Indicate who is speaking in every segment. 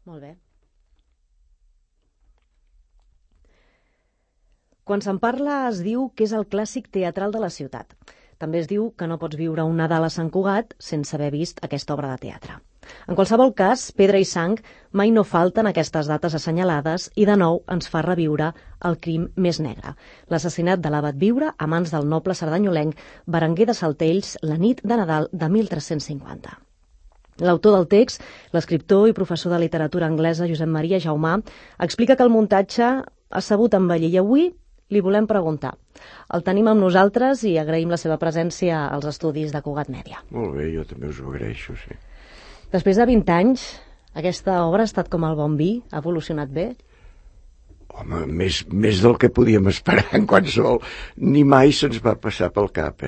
Speaker 1: Molt bé. Quan se'n parla es diu que és el clàssic teatral de la ciutat. També es diu que no pots viure un Nadal a Sant Cugat sense haver vist aquesta obra de teatre. En qualsevol cas, Pedra i Sang mai no falten aquestes dates assenyalades i de nou ens fa reviure el crim més negre, l'assassinat de l'abat Viure a mans del noble cerdanyolenc Berenguer de Saltells la nit de Nadal de 1350. L'autor del text, l'escriptor i professor de literatura anglesa Josep Maria Jaumà, explica que el muntatge ha sabut envellir i avui li volem preguntar. El tenim amb nosaltres i agraïm la seva presència als estudis de Cugat Mèdia.
Speaker 2: Molt bé, jo també us ho agraeixo, sí.
Speaker 1: Després de 20 anys, aquesta obra ha estat com el bon vi? Ha evolucionat bé?
Speaker 2: Home, més del que podíem esperar en qualsevol. Ni mai se'ns va passar pel cap,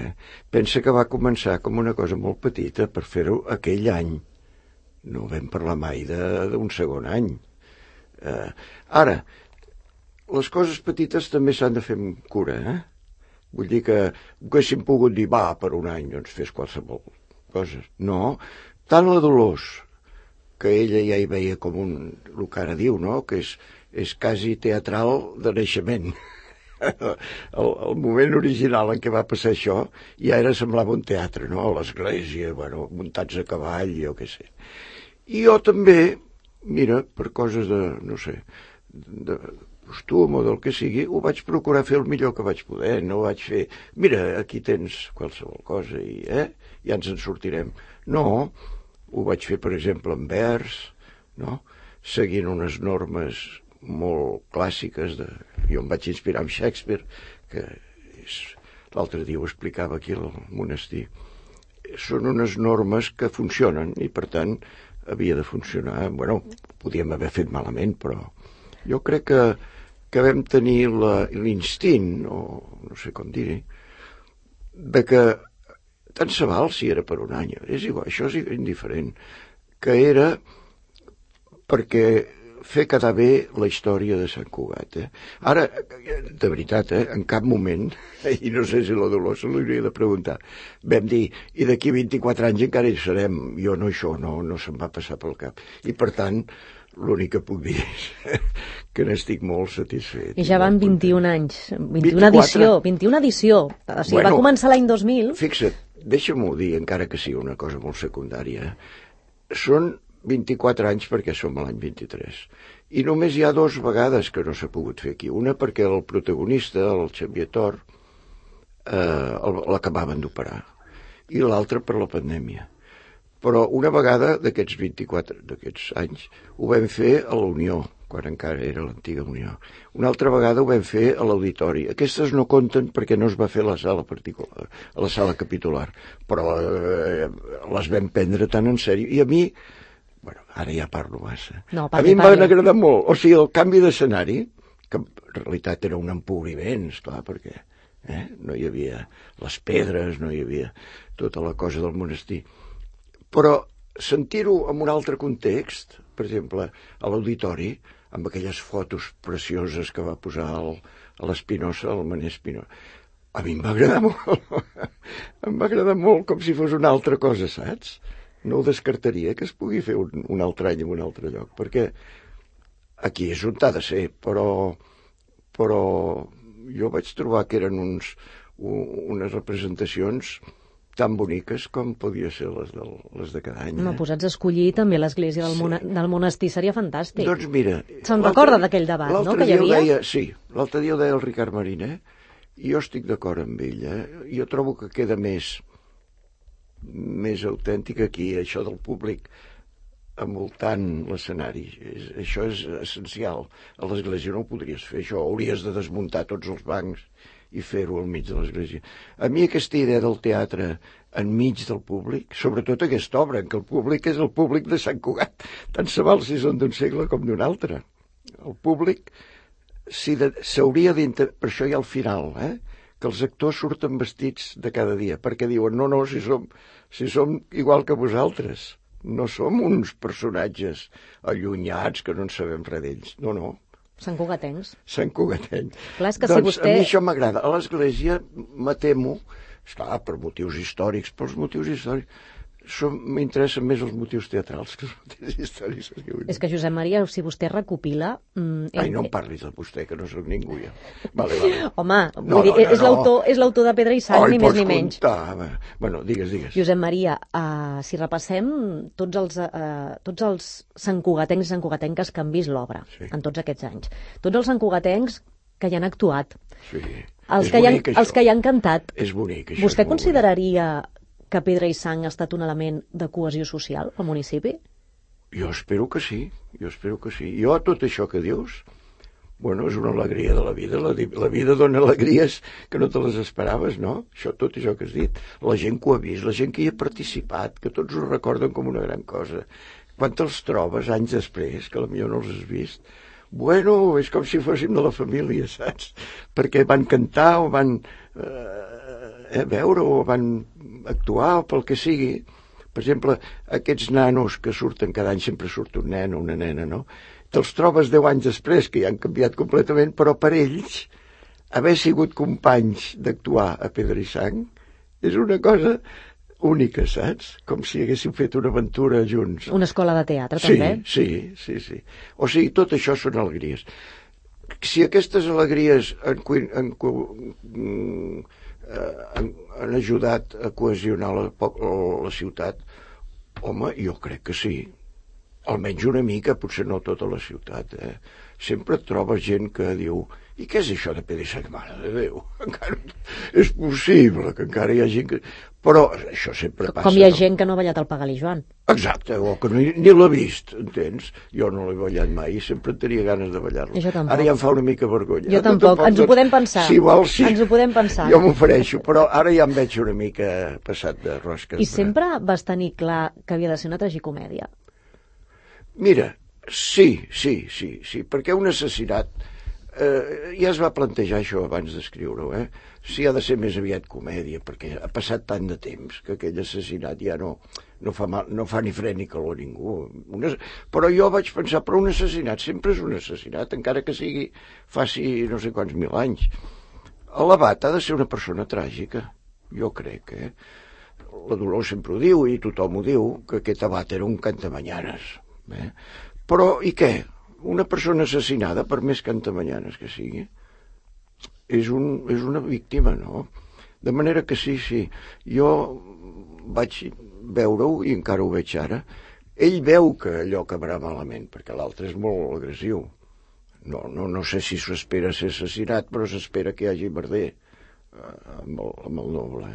Speaker 2: Pensa que va començar com una cosa molt petita per fer-ho aquell any. No vam parlar mai d'un segon any. Ara, les coses petites també s'han de fer amb cura, Vull dir que haguéssim pogut dir, per un any, doncs fes qualsevol cosa. No, tant la Dolors, que ella ja hi veia com el que ara diu, no?, que és quasi teatral de naixement. El moment original en què va passar això ja semblava un teatre, no?, a l'església, muntats a cavall, jo què sé. I jo també, mira, per coses de, no sé, de costum o del que sigui, ho vaig procurar fer el millor que vaig poder. No vaig fer, mira, aquí tens qualsevol cosa i ja ens en sortirem. No, ho vaig fer, per exemple, en vers, no?, seguint unes normes molt clàssiques. Jo em vaig inspirar en Shakespeare, que l'altre dia ho explicava aquí al monestir. Són unes normes que funcionen i, per tant, havia de funcionar. Podíem haver fet malament, però jo crec que vam tenir l'instint, o no sé com dir, de que tant se val si era per un any, és igual, això és indiferent, que era perquè fer quedar bé la història de Sant Cugat. Ara, de veritat, en cap moment, i no sé si la Dolors se l'hauria de preguntar, vam dir, i d'aquí 24 anys encara hi serem. Jo no, això no se'm va passar pel cap. I per tant, l'únic que puc dir és que n'estic molt satisfet.
Speaker 1: I ja van 21 anys, 21 edició. O sigui, va començar l'any 2000.
Speaker 2: Fixa't, deixa-m'ho dir, encara que sigui una cosa molt secundària. Són 24 anys perquè som a l'any 23. I només hi ha 2 vegades que no s'ha pogut fer aquí. Una perquè el protagonista, el Xavier Tor, l'acabaven d'operar. I l'altra per la pandèmia. Però una vegada d'aquests anys ho vam fer a la Unió, quan encara era l'antiga Unió. Una altra vegada ho vam fer a l'Auditori. Aquestes no compten perquè no es va fer a la sala particular, a la sala capitular, però les vam prendre tan en sèrio. I a mi, ara ja parlo massa, a mi em van agradar molt. O sigui, el canvi d'escenari, que en realitat era un empobriment, esclar, perquè no hi havia les pedres, no hi havia tota la cosa del monestir. Però sentir-ho en un altre context, per exemple, a l'Auditori, amb aquelles fotos precioses que va posar a l'Espinosa, al Manés Espinosa, a mi em va agradar molt. Em va agradar molt, com si fos una altra cosa, saps? No ho descartaria que es pugui fer un altre any en un altre lloc, perquè aquí és on ha de ser, però jo vaig trobar que eren unes representacions tan boniques com podia ser les de cada any.
Speaker 1: Posats a escollir també l'església del monestir seria fantàstic.
Speaker 2: Doncs mira...
Speaker 1: Se'n recorda d'aquell debat, no?, que hi havia?
Speaker 2: Sí, l'altre dia ho deia el Ricard Mariner, i jo estic d'acord amb ell. Jo trobo que queda més autèntic aquí, això del públic envoltant l'escenari. Això és essencial. A l'església no ho podries fer, això. Hauries de desmuntar tots els bancs i fer-ho al mig de l'església. A mi aquesta idea del teatre enmig del públic, sobretot aquesta obra, en què el públic és el públic de Sant Cugat, tant se val si són d'un segle com d'un altre. El públic s'hauria d'intentar... Per això hi ha el final, que els actors surten vestits de cada dia, perquè diuen, no, si som igual que vosaltres, no som uns personatges allunyats que no en sabem res d'ells, no.
Speaker 1: Sant Cugatencs.
Speaker 2: Clar, és que si vostè... A mi això m'agrada. A l'església, me temo, esclar, per motius històrics, m'interessen més els motius teatrals que els motius històrics.
Speaker 1: És que, Josep Maria, si vostè recopila...
Speaker 2: Ai, no em parlis de vostè, que no sóc ningú, ja. Vale.
Speaker 1: Home, és l'autor de Pedra i Sang, ni més ni menys.
Speaker 2: Bueno, digues.
Speaker 1: Josep Maria, si repassem tots els santcugatencs i santcugatenques que han vist l'obra en tots aquests anys, tots els santcugatencs que hi han actuat, els que hi han cantat,
Speaker 2: és bonic, això.
Speaker 1: Vostè consideraria que Pedra i Sang ha estat un element de cohesió social al municipi?
Speaker 2: Jo espero que sí. Jo, tot això que dius, bueno, és una alegria de la vida. La vida dona alegries que no te les esperaves, no? Tot això que has dit. La gent que ho ha vist, la gent que hi ha participat, que tots ho recorden com una gran cosa. Quan te'ls trobes anys després, que potser no els has vist, bueno, és com si fóssim de la família, saps? Perquè van cantar o van veure o van actuar o pel que sigui. Per exemple, aquests nanos que surten cada any, sempre surt un nen o una nena, no? Te'ls trobes 10 anys després, que ja han canviat completament, però per ells, haver sigut companys d'actuar a Pedra i Sang és una cosa única, saps? Com si haguéssim fet una aventura junts.
Speaker 1: Una escola de teatre, també?
Speaker 2: Sí. O sigui, tot això són alegries. Si aquestes alegries han ajudat a cohesionar la ciutat, home, jo crec que sí. Almenys una mica, potser no tota la ciutat. Sempre et trobes gent que diu: i què és això de Pedra i Sang? Mare de Déu, encara és possible que encara hi ha gent que... Però això sempre passa.
Speaker 1: Com hi ha gent que no ha ballat el Pagal i Joan.
Speaker 2: Exacte, o que ni l'ha vist, entens? Jo no l'he ballat mai i sempre tenia ganes de ballar-lo. Ara ja em fa una mica vergonya.
Speaker 1: Jo tampoc, ens ho podem pensar.
Speaker 2: Si vols, sí.
Speaker 1: Ens ho podem pensar.
Speaker 2: Jo m'ofereixo, però ara ja em veig una mica passat de rosques.
Speaker 1: I sempre vas tenir clar que havia de ser una tragicomèdia?
Speaker 2: Mira, sí, perquè un assassinat, ja es va plantejar això abans d'escriure-ho, si ha de ser més aviat comèdia, perquè ha passat tant de temps que aquell assassinat ja no fa ni fred ni calor a ningú. Però jo vaig pensar, però un assassinat sempre és un assassinat, encara que faci no sé quants mil anys. L'abat ha de ser una persona tràgica, jo crec, La Dolors sempre ho diu i tothom ho diu, que aquest abat era un cantamanyanes. Però, i què? Una persona assassinada, per més cantamanyanes que sigui, és una víctima, no? De manera que sí. Jo vaig veure-ho, i encara ho veig ara, ell veu que allò acabarà malament, perquè l'altre és molt agressiu. No sé si s'ho espera ser assassinat, però s'espera que hi hagi merder amb el noble,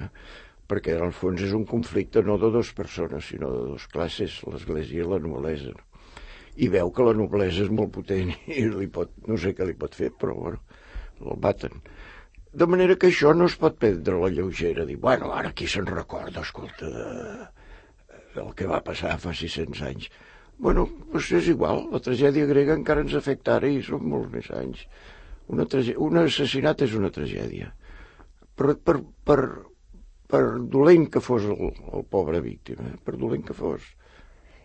Speaker 2: perquè en el fons és un conflicte no de dues persones, sinó de dues classes, l'Església i la noblesa. I veu que la noblesa és molt potent i no sé què li pot fer, però bueno, el baten. De manera que això no es pot prendre a la lleugera, dir, bueno, ara qui se'n recorda, escolta, del que va passar fa 600 anys. Bueno, doncs és igual, la tragèdia grega encara ens afecta ara i són molts més anys. Un assassinat és una tragèdia. Per dolent que fos el pobre víctima, per dolent que fos.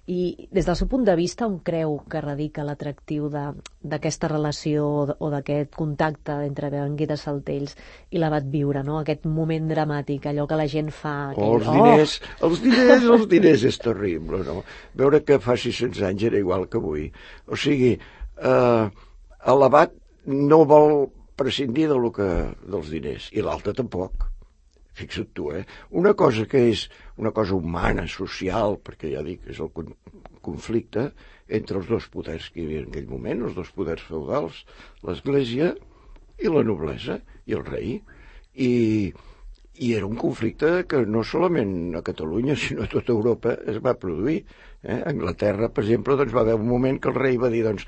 Speaker 1: I des del seu punt de vista, on creu que radica l'atractiu d'aquesta relació o d'aquest contacte entre Berenguer de Saltells i l'abat Viure, no? Aquest moment dramàtic, allò que la gent fa...
Speaker 2: Els diners és terrible, no? Veure que fa 600 anys era igual que avui. O sigui, l'abat no vol prescindir dels diners, i l'altre tampoc. Fixa't tu, Una cosa que és una cosa humana, social, perquè ja dic, és el conflicte entre els dos poders que hi havia en aquell moment, els dos poders feudals, l'Església i la noblesa, i el rei. I era un conflicte que no solament a Catalunya, sinó a tota Europa es va produir. A Anglaterra, per exemple, doncs va haver un moment que el rei va dir, doncs,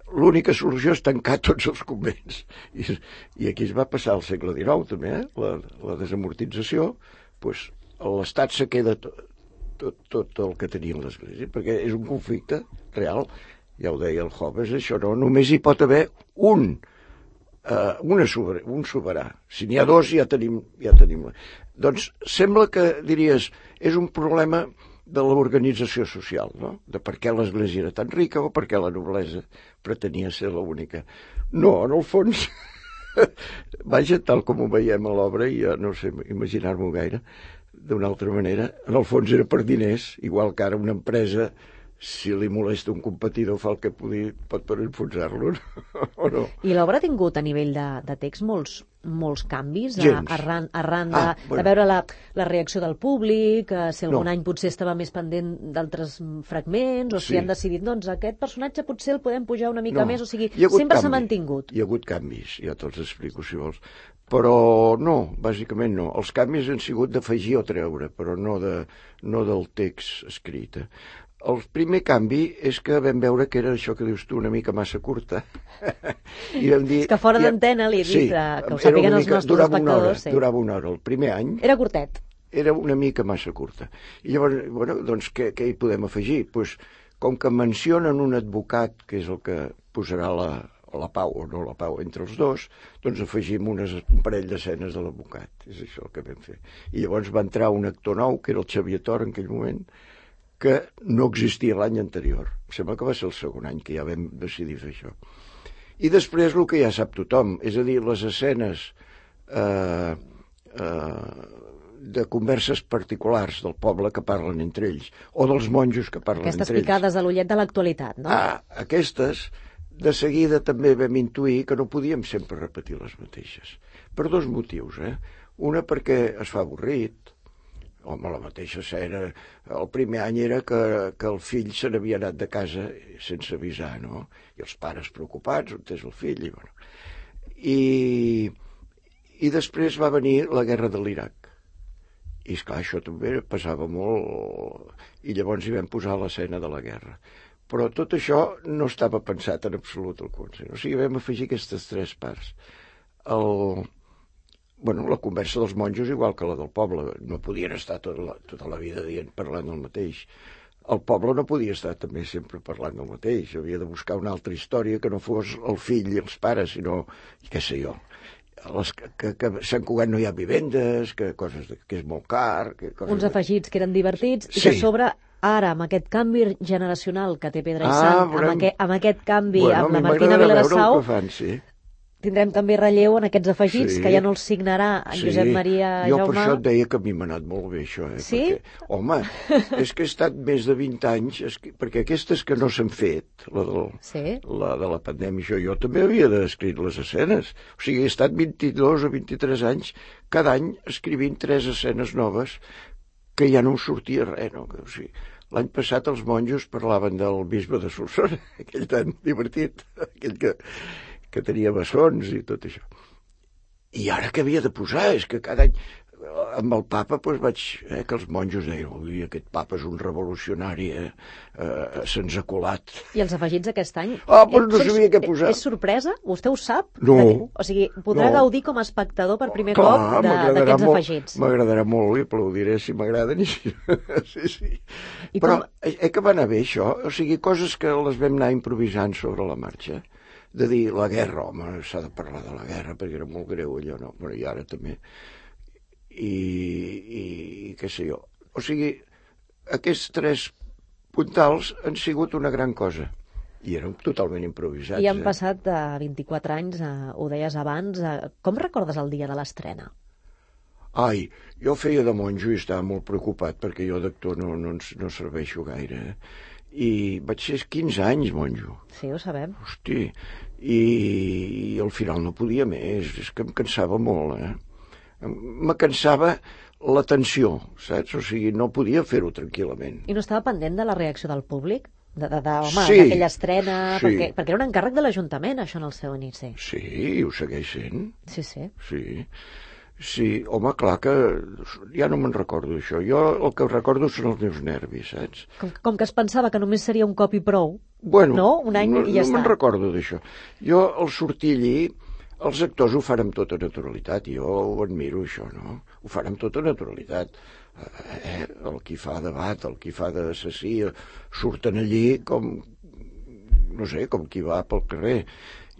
Speaker 2: l'única solució és tancar tots els convents. I aquí es va passar al segle XIX, també, la desamortització, doncs l'Estat se queda tot el que tenia l'Església, perquè és un conflicte real, ja ho deia el Hobbes, això no, només hi pot haver un soberà. Si n'hi ha dos, ja tenim. Doncs sembla que diries, és un problema de l'organització social, no? De per què l'Església era tan rica o per què la noblesa pretenia ser l'única. No, en el fons, vaja, tal com ho veiem a l'obra, i ja no sé imaginar-m'ho gaire, d'una altra manera. En el fons era per diners, igual que ara una empresa, si li molesta un competidor, fa el que pot per enfonsar-lo, o no?
Speaker 1: I l'obra ha tingut a nivell de text molts canvis arran de veure la reacció del públic, si algun any potser estava més pendent d'altres fragments, o si han decidit, doncs aquest personatge potser el podem pujar una mica més, o sigui, sempre s'ha mantingut.
Speaker 2: Hi ha hagut canvis, ja te'ls explico si vols, però no, bàsicament no. Els canvis han sigut d'afegir o treure, però no del text escrit. El primer canvi és que vam veure que era això que dius tu, una mica massa curta. I vam dir...
Speaker 1: És que fora d'antena li he dit que ho sàpiguen els nostres espectadors.
Speaker 2: Durava una hora. El primer any...
Speaker 1: Era curtet.
Speaker 2: Era una mica massa curta. I llavors, bueno, doncs què hi podem afegir? Pues, com que mencionen un advocat, que és el que posarà la pau o no la pau entre els dos, doncs afegim un parell d'escenes de l'advocat. És això el que vam fer. I llavors va entrar un actor nou, que era el Xavier Tor en aquell moment, que no existia l'any anterior. Em sembla que va ser el segon any que ja vam decidir fer això. I després el que ja sap tothom, és a dir, les escenes de converses particulars del poble que parlen entre ells, o dels monjos que parlen entre ells.
Speaker 1: Aquestes picades a l'ullet de l'actualitat, no?
Speaker 2: Aquestes, de seguida també vam intuir que no podíem sempre repetir les mateixes. Per dos motius, Una perquè es fa avorrit. Home, la mateixa escena. El primer any era que el fill se n'havia anat de casa sense avisar, no? I els pares preocupats, on és el fill? I després va venir la guerra de l'Iraq. I, esclar, això també passava molt, i llavors hi vam posar l'escena de la guerra. Però tot això no estava pensat en absolut al concert. O sigui, vam afegir aquestes tres parts. La conversa dels monjos igual que la del poble. No podien estar tota la vida parlant del mateix. El poble no podia estar també sempre parlant del mateix. Havia de buscar una altra història que no fos el fill i els pares, sinó, què sé jo, que a Sant Cugat no hi ha vivendes, que és molt car...
Speaker 1: Uns afegits que eren divertits i que a sobre ara, amb aquest canvi generacional que té Pedra i Sant, amb aquest canvi amb la Martina Vilarasau, tindrem també relleu en aquests afegits, que ja no els signarà en Josep Maria Jaume.
Speaker 2: Jo per això et deia que a mi m'ha anat molt bé, això.
Speaker 1: Sí?
Speaker 2: Perquè, home, és que he estat més de 20 anys, perquè aquestes que no s'han fet, la de la pandèmia, jo també havia d'escriure les escenes. O sigui, he estat 22 o 23 anys, cada any escrivint 3 escenes noves, que ja no em sortia res, no? O sigui, l'any passat els monjos parlaven del bisbe de Solsona, aquell tan divertit, aquell que tenia bessons i tot això. I ara què havia de posar? És que cada any, amb el papa, vaig... que els monjos deien, ui, aquest papa és un revolucionari, se'ns ha colat.
Speaker 1: I els afegits aquest any?
Speaker 2: No sabia què posar.
Speaker 1: És sorpresa? Vostè ho sap?
Speaker 2: No.
Speaker 1: O sigui, podrà gaudir com a espectador per primer cop d'aquests afegits.
Speaker 2: M'agradarà molt i aplaudiré si m'agraden. Sí. Però que va anar bé, això? O sigui, coses que les vam anar improvisant sobre la marxa. De dir, la guerra, home, s'ha de parlar de la guerra, perquè era molt greu allò, no? Però i ara també. I què sé jo. O sigui, aquests 3 puntals han sigut una gran cosa. I eren totalment improvisats.
Speaker 1: I han passat 24 anys, ho deies abans. Com recordes el dia de l'estrena?
Speaker 2: Ai, jo feia de monjo i estava molt preocupat, perquè jo d'actor no serveixo gaire, I vaig ser 15 anys monjo.
Speaker 1: Sí, ho sabem.
Speaker 2: Hosti, i al final no podia més, és que em cansava molt, Me cansava la tensió, saps? O sigui, no podia fer-ho tranquil·lament.
Speaker 1: I no estava pendent de la reacció del públic? D'aquella estrena?
Speaker 2: Sí.
Speaker 1: Perquè era un encàrrec de l'Ajuntament, això, en el seu inici.
Speaker 2: Sí, ho segueix sent.
Speaker 1: Sí.
Speaker 2: Sí, home, clar que ja no me'n recordo, això. Jo el que recordo són els meus nervis, saps?
Speaker 1: Com que es pensava que només seria un cop i prou,
Speaker 2: no?
Speaker 1: Un any i ja està.
Speaker 2: No me'n recordo d'això. Jo, al sortir allí, els actors ho fan amb tota naturalitat, i jo ho admiro, això, no? Ho fan amb tota naturalitat. El qui fa debat, el qui fa d'assassí, surten allí com, no sé, com qui va pel carrer.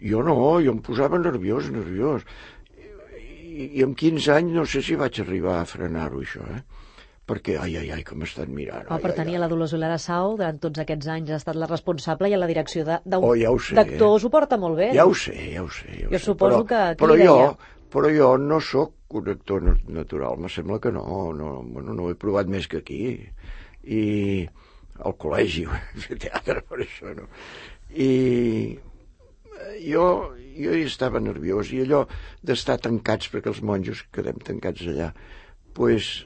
Speaker 2: Jo no, jo em posava nerviós. I amb 15 anys no sé si vaig arribar a frenar-ho, això, Perquè, ai, que m'estan mirant.
Speaker 1: Per tenir la Dolors Vilarasau, durant tots aquests anys ha estat la responsable i a la direcció
Speaker 2: d'actors
Speaker 1: ho porta molt bé.
Speaker 2: Ja ho sé.
Speaker 1: Jo suposo que
Speaker 2: però jo no sóc un actor natural, me sembla que no, no ho he provat més que aquí. I al col·legi ho he fet teatre per això, no? I jo hi estava nerviós, i allò d'estar tancats, perquè els monjos quedem tancats allà, pues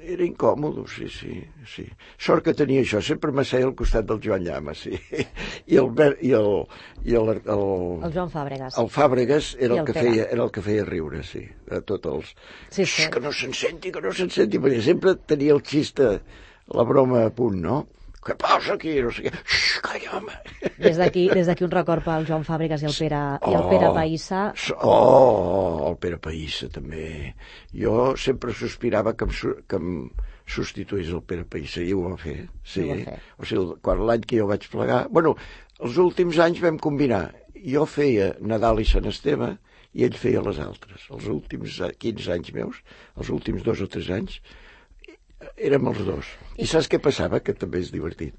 Speaker 2: era incòmode, sí. Sort que tenia això, sempre m'asseia al costat del Joan Llama, sí. I el
Speaker 1: Joan Fàbregas.
Speaker 2: El Fàbregas era el que feia riure, sí, a tots els...
Speaker 1: Sí.
Speaker 2: Que no se'n senti, perquè sempre tenia el xiste, la broma a punt, no? Què passa aquí? No sé què. Calla, home.
Speaker 1: Des d'aquí un record pel Joan Fàbregas i el Pere Païssa.
Speaker 2: El Pere Païssa, també. Jo sempre sospirava que em substituís el Pere Païssa, i ho va fer. Sí. O sigui, l'any que jo vaig plegar... Bueno, els últims anys vam combinar. Jo feia Nadal i Sant Esteve i ell feia les altres. Els últims 15 anys meus, els últims 2 o 3 anys, érem els dos. I saps què passava? Que també és divertit.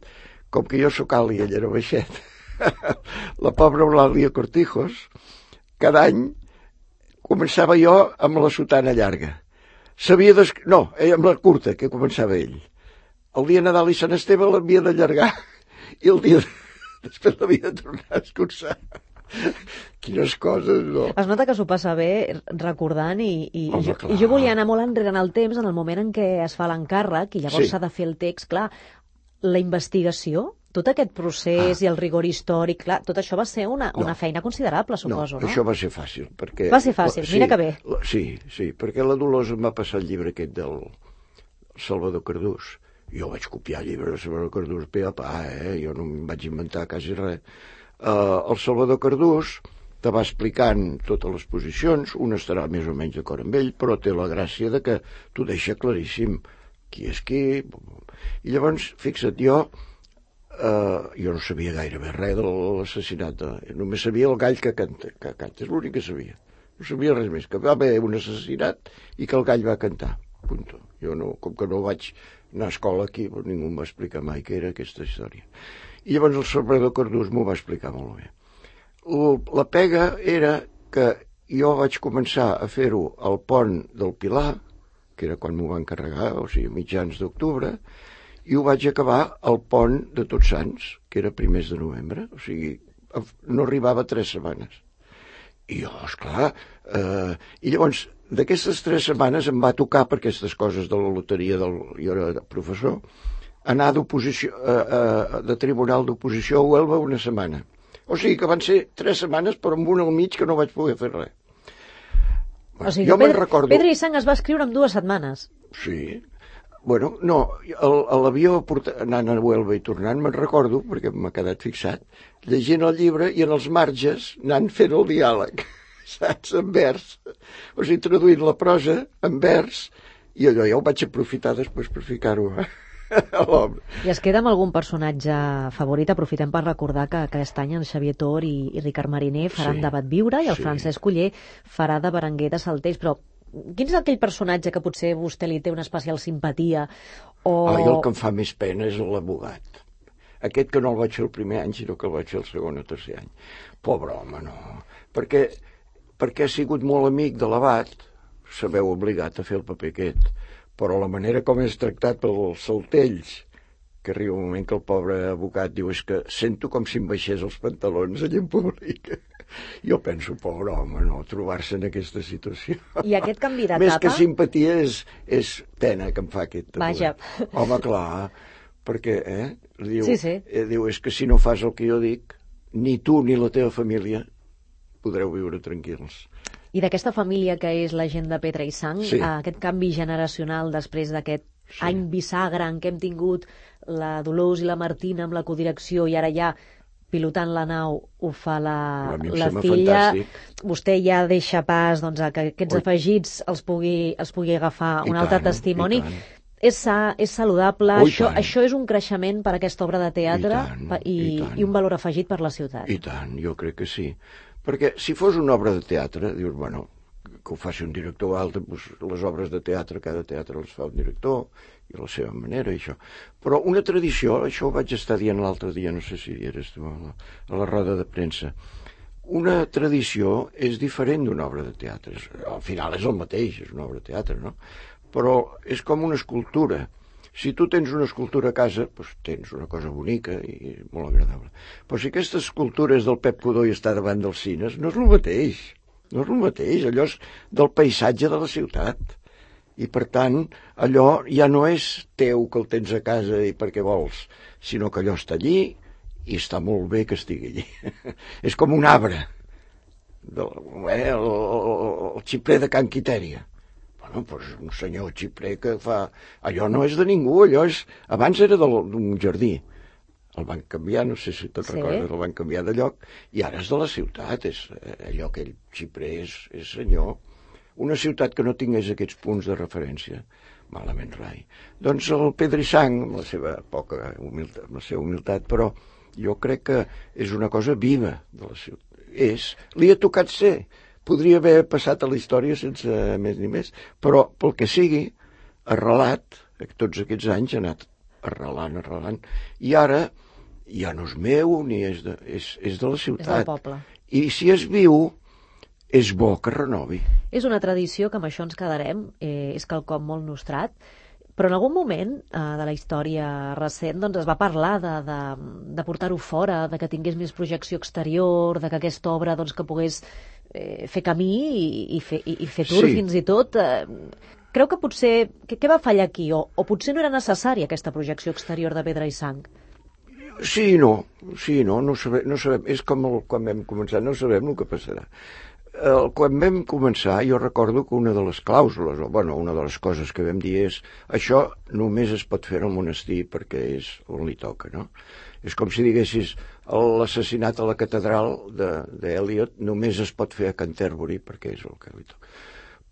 Speaker 2: Com que jo sóc alt i ell era baixet, la pobra Eulàlia Cortijos, cada any començava jo amb la sotana llarga. Amb la curta, que començava ell. El dia Nadal i Sant Esteve l'havia d'allargar i el dia després l'havia de tornar a escurçar. Quines coses, no?
Speaker 1: Es nota que s'ho passa bé recordant i jo volia anar molt enrere en el temps, en el moment en què es fa l'encàrrec i llavors s'ha de fer el text. Clar, la investigació, tot aquest procés i el rigor històric, clar, tot això va ser una feina considerable, suposo, no?
Speaker 2: No, això va ser fàcil.
Speaker 1: Va ser fàcil, mira que bé.
Speaker 2: Sí, perquè la Dolors em va passar el llibre aquest del Salvador Cardús. Jo vaig copiar el llibre de Salvador Cardús pe a pa, jo no em vaig inventar quasi res. El Salvador Cardús te va explicant totes les posicions, un estarà més o menys d'acord amb ell, però té la gràcia de que t'ho deixa claríssim qui és qui. I llavors, fixa't, jo no sabia gairebé res de l'assassinat, només sabia el gall que canta, és l'únic que sabia. No sabia res més, que va haver un assassinat i que el gall va cantar, punto. Jo no, com que no vaig anar a escola aquí, ningú em va explicar mai què era aquesta història. I llavors el Salvador Cardús m'ho va explicar molt bé. La pega era que jo vaig començar a fer-ho al pont del Pilar, que era quan m'ho van encarregar, o sigui, mitjans d'octubre, i ho vaig acabar al pont de Tots Sants, que era primers de novembre, o sigui, no arribava 3 setmanes. I jo, esclar, i llavors, d'aquestes 3 setmanes em va tocar, per aquestes coses de la loteria, jo era professor, anar de tribunal d'oposició a Huelva una setmana. O sigui que van ser 3 setmanes, però amb una al mig que no vaig poder fer res.
Speaker 1: O sigui, Pedra i Sang es va escriure en 2 setmanes.
Speaker 2: Sí. Bueno, no, a l'avió anant a Huelva i tornant me'n recordo, perquè m'ha quedat fixat, llegint el llibre i en els marges anant fent el diàleg, saps, en vers. O sigui, traduint la prosa en vers, i allò ja ho vaig aprofitar després per ficar-ho a l'obra.
Speaker 1: I es queda amb algun personatge favorit? Aprofitem per recordar que aquest any en Xavier Tor i Ricard Mariner faran de Batviure i el Francesc Oller farà de Berenguer de Saltells, però quin és aquell personatge que potser vostè li té una especial simpatia?
Speaker 2: I el que em fa més pena és l'abogat. Aquest que no el vaig fer el primer any, sinó que el vaig fer el segon o tercer any. Pobre home, no. Perquè ha sigut molt amic de l'abat, sabeu obligat a fer el paper aquest, però la manera com és tractat pels Saltells, que arriba un moment que el pobre abogat diu és que sento com si em baixés els pantalons allà en públic. Jo penso, pobre home, no, trobar-se en aquesta situació.
Speaker 1: I aquest canvi d'etapa?
Speaker 2: Més que simpatia és pena que em fa aquest.
Speaker 1: Vaja.
Speaker 2: Home, clar, perquè, diu,
Speaker 1: sí.
Speaker 2: Diu, és que si no fas el que jo dic, ni tu ni la teva família podreu viure tranquils.
Speaker 1: I d'aquesta família que és la gent de Pedra i Sang, aquest canvi generacional després d'aquest any bisagra en què hem tingut la Dolors i la Martina amb la codirecció i ara ja pilotant la nau ho fa la filla. Fantàstic. Vostè ja deixa pas a que aquests afegits els pugui agafar un altre testimoni. És sa, és saludable, això és un creixement per a aquesta obra de teatre i un valor afegit per la ciutat.
Speaker 2: I tant, jo crec que sí. Perquè si fos una obra de teatre, dius, bueno, que ho faci un director altre, doncs les obres de teatre, cada teatre les fa un director, i a la seva manera, això. Però una tradició, això ho vaig estar dient l'altre dia, no sé si eres tu, a la roda de premsa, una tradició és diferent d'una obra de teatre. Al final és el mateix, és una obra de teatre, no? Però és com una escultura. Si tu tens una escultura a casa, doncs tens una cosa bonica i molt agradable. Però si aquesta escultura és del Pep Codó i està davant dels cines, no és el mateix. No és el mateix, allò és del paisatge de la ciutat. I, per tant, allò ja no és teu que el tens a casa i perquè vols, sinó que allò està allí i està molt bé que estigui allí. És com un arbre, el xiprer de Can Quitèria. Bueno, doncs un senyor xiprer que fa... Allò no és de ningú, allò és... Abans era d'un jardí. El van canviar, no sé si te'n recordes, el van canviar de lloc, i ara és de la ciutat, és allò que ell xiprer és senyor. Una ciutat que no tingués aquests punts de referència, malament rai. Doncs el Pedrisang, amb la seva poca humilitat, amb la seva humilitat, però jo crec que és una cosa viva de la ciutat. Li ha tocat ser. Podria haver passat a la història sense més ni més, però pel que sigui, arrelat, tots aquests anys ha anat arrelant, i ara ja no és meu ni és de la ciutat.
Speaker 1: És del poble.
Speaker 2: I si és viu, és bo que renovi.
Speaker 1: És una tradició que amb això ens quedarem, és quelcom molt nostrat, però en algun moment de la història recent doncs es va parlar de portar-ho fora, de que tingués més projecció exterior, de que aquesta obra doncs, que pogués fer camí i fer tour fins i tot. Creu que potser... Què va fallar aquí? O potser no era necessària aquesta projecció exterior de Pedra i Sang?
Speaker 2: Sí i no, no sabem. És com quan vam començar, no sabem el que passarà. Quan vam començar, jo recordo que una de les clàusules, una de les coses que vam dir és això només es pot fer al monestir perquè és on li toca, no? És com si diguessis l'assassinat a la catedral d'Eliot només es pot fer a Canterbury perquè és el que li toca.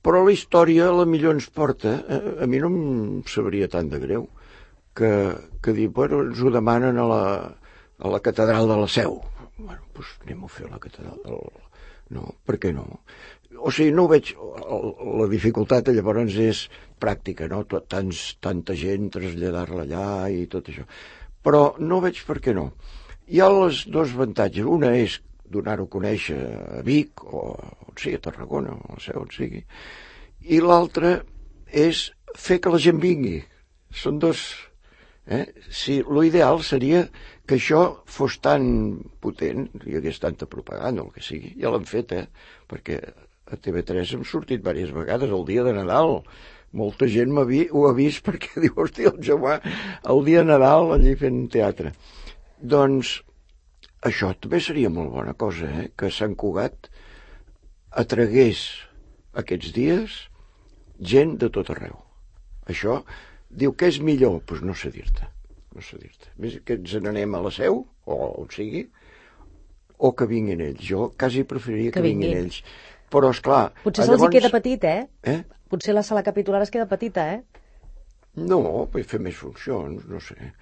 Speaker 2: Però la història a la millor ens porta, a mi no em sabria tant de greu, que dir, ens ho demanen a la catedral de la Seu. Doncs anem a fer a la catedral No, per què no? O sigui, no ho veig... La dificultat llavors és pràctica, no? Tanta gent, traslladar-la allà i tot això. Però no veig per què no. Hi ha els dos avantatges. Una és donar-ho a conèixer a Vic, o on sigui, a Tarragona, o a la Seu, on sigui. I l'altra és fer que la gent vingui. Són dos... Si l'ideal seria que això fos tan potent, hi hagués tanta propaganda, el que sigui, ja l'han fet, perquè a TV3 hem sortit diverses vegades el dia de Nadal. Molta gent ho ha vist perquè diu, hòstia, el Jaume, el dia de Nadal allí fent teatre. Doncs això també seria molt bona cosa, que Sant Cugat atragués aquests dies gent de tot arreu. Això... Diu, què és millor? Doncs no sé dir-te. Més que ens n'anem a la Seu, o on sigui, o que vinguin ells. Jo quasi preferiria que vinguin ells. Però, esclar...
Speaker 1: Potser se'ls hi queda petit, Potser la sala capitular es queda petita,
Speaker 2: No, fer més funcions, no sé.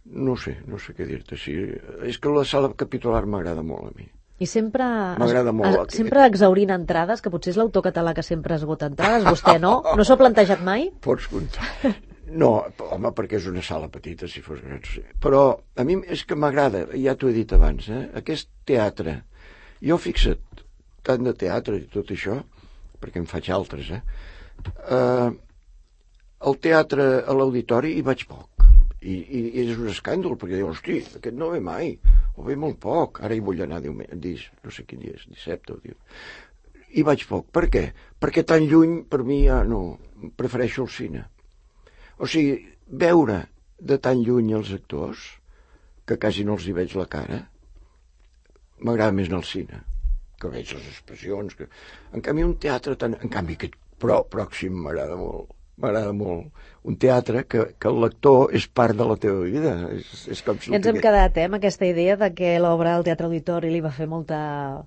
Speaker 2: No sé què dir-te. Sí, és que la sala capitular m'agrada molt a mi.
Speaker 1: I sempre...
Speaker 2: M'agrada molt.
Speaker 1: Sempre exhaurint entrades, que potser és l'autor català que sempre esgota entrades. Vostè no? No s'ho ha plantejat mai?
Speaker 2: Pots comptar. No, home, perquè és una sala petita, si fos gran. Però a mi és que m'agrada, ja t'ho he dit abans, aquest teatre. Jo fixa't, tant de teatre i tot això, perquè en faig altres, al teatre, a l'auditori, hi vaig poc. I és un escàndol, perquè diu, hosti, aquest no ve mai, o ve molt poc. Ara hi vull anar no sé quin dia és, dissabte o diumenge. Hi vaig poc. Per què? Perquè tan lluny, per mi, ja no, prefereixo el cine. O sigui, veure de tan lluny els actors, que quasi no els hi veig la cara, m'agrada més anar al cine, que veig les expressions. En canvi, un teatre tan... En canvi, aquest pròxim m'agrada molt. Un teatre que el lector és part de la teva vida. És com si
Speaker 1: ens hem quedat amb aquesta idea de que l'obra al Teatre Auditori li va fer molta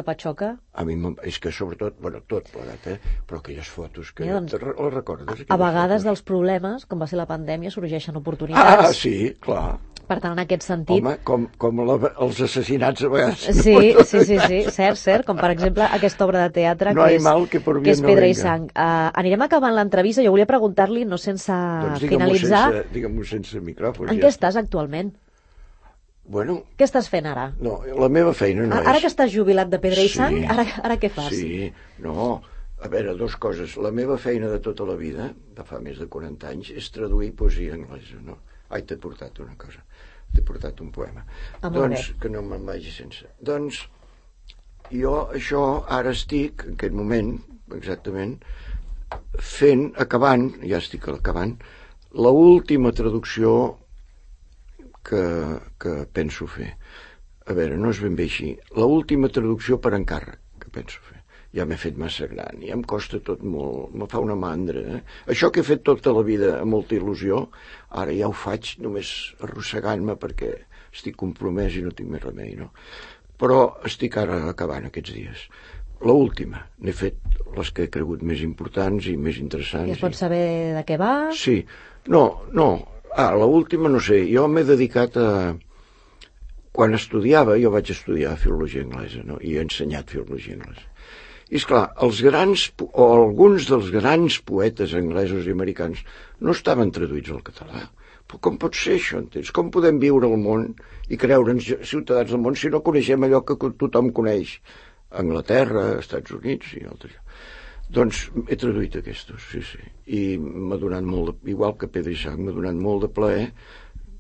Speaker 1: patxoca?
Speaker 2: A mi és que sobretot, tot plegat, però aquelles fotos que... Les recordes?
Speaker 1: A vegades dels problemes, com va ser la pandèmia, sorgeixen oportunitats.
Speaker 2: Sí, clar.
Speaker 1: Per tant, en aquest sentit...
Speaker 2: Home, com els assassinats a vegades.
Speaker 1: Sí, cert, com per exemple aquesta obra de teatre que és Pedra i Sang. Anirem acabant l'entrevista, jo volia preguntar-li, no sense finalitzar...
Speaker 2: Digue'm-ho sense micròfon.
Speaker 1: En què estàs actualment?
Speaker 2: Bueno...
Speaker 1: Què estàs fent ara?
Speaker 2: No, la meva feina no és...
Speaker 1: Ara que estàs jubilat de Pedra i Sang, ara què fas?
Speaker 2: Sí, no, a veure, dues coses. La meva feina de tota la vida, de fa més de 40 anys, és traduir poesia anglesa, no? Ai, t'he portat una cosa, t'he portat un poema. Doncs, que no me'n vagi sense. Doncs, jo això ara estic, en aquest moment, exactament, acabant, ja estic acabant, l'última traducció que penso fer. A veure, no és ben bé així. L'última traducció per encàrrec que penso fer. Ja m'he fet massa gran, ja em costa tot molt, me fa una mandra. Això que he fet tota la vida amb molta il·lusió, ara ja ho faig només arrossegant-me perquè estic compromès i no tinc més remei, no? Però estic ara acabant aquests dies. L'última, n'he fet les que he cregut més importants i més interessants.
Speaker 1: I es pot saber de què va?
Speaker 2: Sí, no. L'última no sé, jo m'he dedicat a... Quan estudiava, jo vaig estudiar filologia anglesa, no? I he ensenyat filologia anglesa. I esclar, alguns dels grans poetes anglesos i americans no estaven traduïts al català. Però com pot ser això, entens? Com podem viure al món i creure'ns ciutadans del món si no coneixem allò que tothom coneix? Anglaterra, Estats Units i altres. Doncs he traduït aquests, sí. I m'ha donat molt, igual que Pedra i Sang, m'ha donat molt de plaer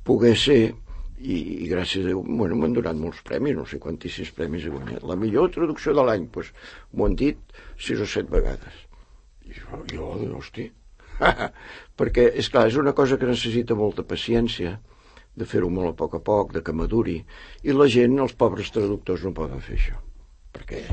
Speaker 2: poder ser, i gràcies a Déu, bueno, m'han donat molts premis, no sé quantíssims premis he guanyat. La millor traducció de l'any, doncs m'ho han dit 6 o 7 vegades. I jo, hosti, perquè, esclar, és una cosa que necessita molta paciència, de fer-ho molt a poc, de que maduri, i la gent, els pobres traductors, no poden fer això, perquè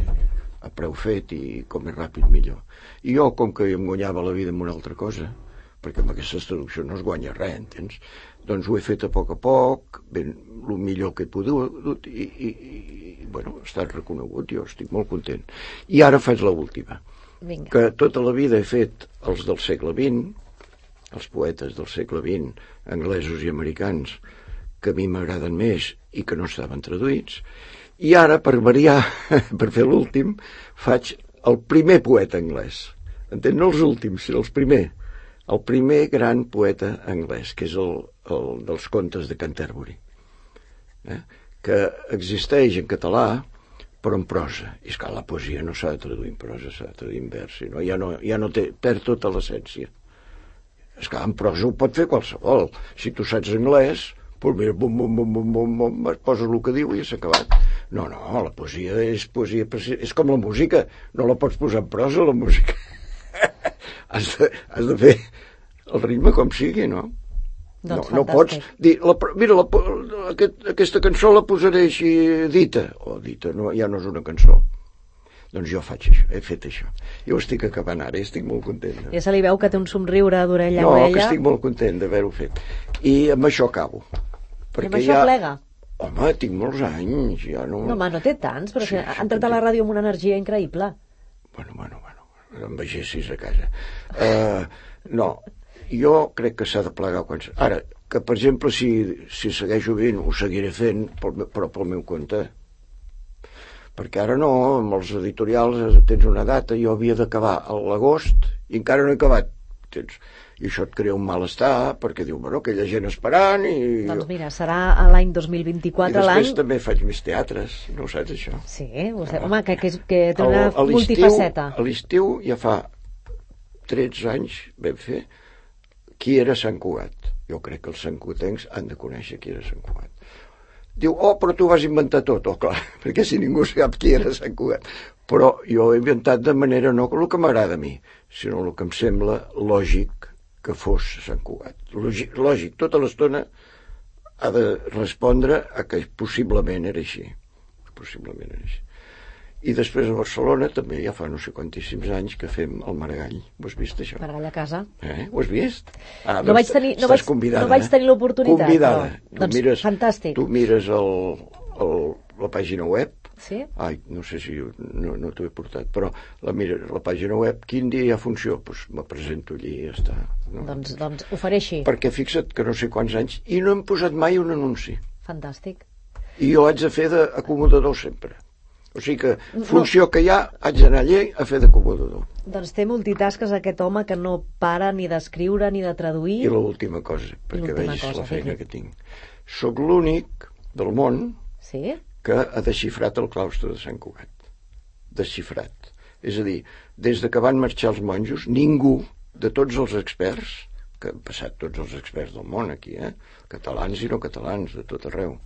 Speaker 2: a preu fet i com més ràpid millor. I jo, com que em guanyava la vida amb una altra cosa, perquè amb aquestes traduccions no es guanya res, entens? Doncs ho he fet a poc, ben el millor que he pogut, i bueno, ha estat reconegut, jo estic molt content. I ara faig l'última, que tota la vida he fet els del segle XX, els poetes del segle XX, anglesos i americans, que a mi m'agraden més i que no estaven traduïts. I ara, per variar, per fer l'últim, faig el primer poeta anglès. Entens? No els últims, sinó els primer. El primer gran poeta anglès, que és el dels contes de Canterbury, que existeix en català, però en prosa. I esclar, la poesia no s'ha de traduir en prosa, s'ha de traduir en vers, no? Ja no perd tota l'essència. Esclar, en prosa ho pot fer qualsevol. Si tu saps anglès, doncs mira, bum, poses el que diu i s'ha acabat. No, la poesia és poesia, és com la música, no la pots posar en prosa, la música. Has de fer el ritme com sigui, no?
Speaker 1: Doncs
Speaker 2: no pots dir, mira, aquesta cançó la posaré així dita, no, ja no és una cançó. Doncs jo faig això, he fet això. Jo estic acabant ara, estic molt content.
Speaker 1: Ja se li veu que té un somriure d'orella a orella.
Speaker 2: No, que estic molt content d'haver-ho fet. I amb això acabo.
Speaker 1: I amb això plega?
Speaker 2: Home, tinc molts anys, ja no...
Speaker 1: No, no té tants, però ha entrat a la ràdio amb una energia increïble.
Speaker 2: Bueno, em vegessis a casa. No, jo crec que s'ha de plegar quan... Ara, que per exemple, si segueixo vivint, ho seguiré fent, però pel meu compte. Perquè ara no, amb els editorials tens una data, jo havia d'acabar a l'agost i encara no he acabat. I això et crea un malestar, perquè diu, bueno, aquella gent esperant i...
Speaker 1: Doncs mira, serà l'any 2024 l'any...
Speaker 2: I després també faig més teatres, no ho saps, això?
Speaker 1: Sí, home, que té una multifaceta.
Speaker 2: A l'estiu ja fa 13 anys vam fer Qui era Sant Cugat. Jo crec que els santcugatencs han de conèixer qui era Sant Cugat. Diu, però tu vas inventar tot. Clar, perquè si ningú sap qui era Sant Cugat. Però jo he inventat de manera no el que m'agrada a mi, sinó el que em sembla lògic que fos Sant Cugat. Lògic, tota l'estona ha de respondre a que possiblement era així. I després a Barcelona també ja fa no sé quantíssims anys que fem el Maragall. Ho has vist, això?
Speaker 1: Maragall a casa.
Speaker 2: Ho has vist?
Speaker 1: No vaig tenir l'oportunitat.
Speaker 2: Convidada.
Speaker 1: Doncs fantàstic.
Speaker 2: Tu mires la pàgina web.
Speaker 1: Sí?
Speaker 2: Ai, no sé si no t'ho he portat, però la pàgina web, quin dia hi ha funció? Doncs me presento allí i ja està. No?
Speaker 1: Doncs ho faré així.
Speaker 2: Perquè fixa't que no sé quants anys, i no hem posat mai un anunci.
Speaker 1: Fantàstic.
Speaker 2: I jo haig de fer d'acomodador sempre. O sigui que, funció que hi ha, haig d'anar allà a fer d'acomodador.
Speaker 1: Doncs té multitasques aquest home que no para ni d'escriure ni de traduir.
Speaker 2: I l'última cosa, perquè vegis la feina que tinc. Soc l'únic del món
Speaker 1: Sí?
Speaker 2: que ha desxifrat el claustre de Sant Cugat. Desxifrat. És a dir, des de que van marxar els monjos, ningú de tots els experts, que han passat tots els experts del món aquí, catalans i no catalans, de tot arreu,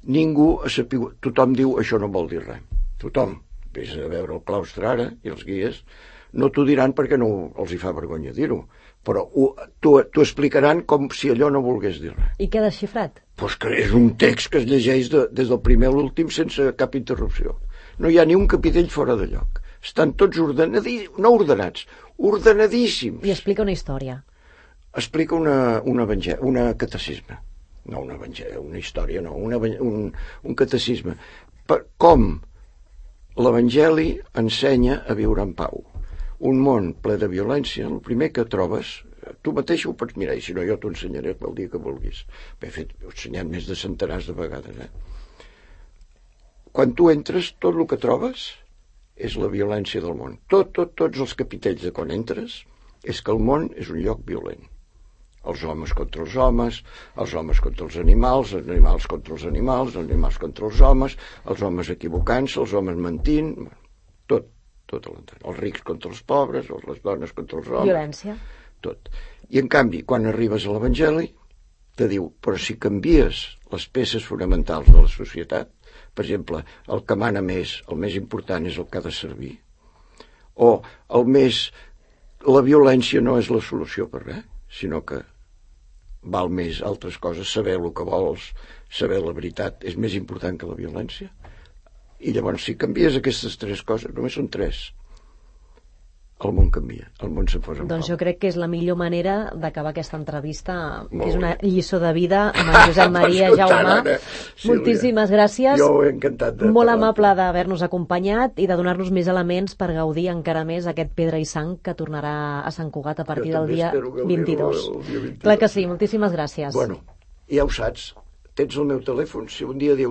Speaker 2: ningú ha sapigut, tothom diu això no vol dir res. Tothom. Vés a veure el claustre ara i els guies, no t'ho diran perquè no els hi fa vergonya dir-ho, però t'ho explicaran com si allò no volgués dir res.
Speaker 1: I què ha desxifrat?
Speaker 2: Doncs que és un text que es llegeix des del primer a l'últim sense cap interrupció. No hi ha ni un capitell fora de lloc. Estan tots no ordenats, ordenadíssims.
Speaker 1: I explica una història.
Speaker 2: Explica una catecisme. No una història, no, un catecisme. Com l'Evangeli ensenya a viure en pau. Un món ple de violència, el primer que trobes, tu mateix ho pots mirar, i si no jo t'ho ensenyaré el dia que vulguis. He ensenyat més de centenars de vegades. Quan tu entres, tot el que trobes és la violència del món. Tots els capitells de quan entres és que el món és un lloc violent. Els homes contra els homes contra els animals contra els animals contra els homes equivocant-se, els homes mentint, tot a l'entorn. Els rics contra els pobres, les dones contra els homes.
Speaker 1: Violència.
Speaker 2: Tot. I en canvi, quan arribes a l'Evangeli, te diu, però si canvies les peces fonamentals de la societat, per exemple, el que mana més, el més important és el que ha de servir, o la violència no és la solució per res, sinó que val més altres coses, saber el que vols, saber la veritat, és més important que la violència. I llavors, si canvies aquestes tres coses, només són tres, el món canvia, el món se posa en pau.
Speaker 1: Doncs jo crec que és la millor manera d'acabar aquesta entrevista, que és una lliçó de vida amb en Josep Maria Jaume. Moltíssimes gràcies.
Speaker 2: Jo he encantat de
Speaker 1: molt amable d'haver-nos acompanyat i de donar-nos més elements per gaudir encara més aquest Pedra i Sang que tornarà a Sant Cugat a partir del dia 22. Clar que sí, moltíssimes gràcies.
Speaker 2: Bueno, ja ho saps, tens el meu telèfon, si un dia dius